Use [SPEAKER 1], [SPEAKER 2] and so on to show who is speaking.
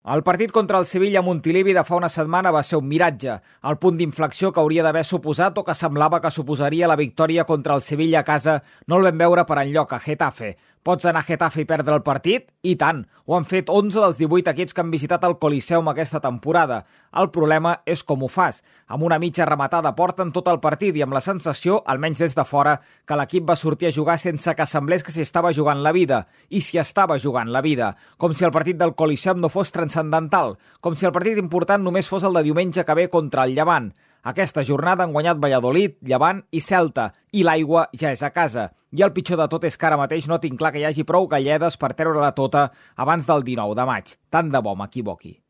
[SPEAKER 1] El partit contra el Sevilla a Montilivi de fa una setmana va ser un miratge, el punt d'inflexió que hauria d'haver suposat o que semblava que suposaria la victòria contra el Sevilla a casa no el vam veure per enlloc a Getafe. Pots anar a Getafe i perdre el partit? I tant! Ho han fet 11 dels 18 equips que han visitat el Coliseum aquesta temporada. El problema és com ho fas. Amb una mitja rematada porta en tot el partit i amb la sensació, almenys des de fora, que l'equip va sortir a jugar sense que semblés que s'hi estava jugant la vida. I s'hi estava jugant la vida. Com si el partit del Coliseum no fos transcendental. Com si el partit important només fos el de diumenge que ve contra el Llevant. Aquesta jornada han guanyat Valladolid, Llevant i Celta, i l'aigua ja és a casa. I el pitjor de tot és que ara mateix no tinc clar que hi hagi prou galledes per treure-la tota abans del 19 de maig. Tant de bo m'equivoqui.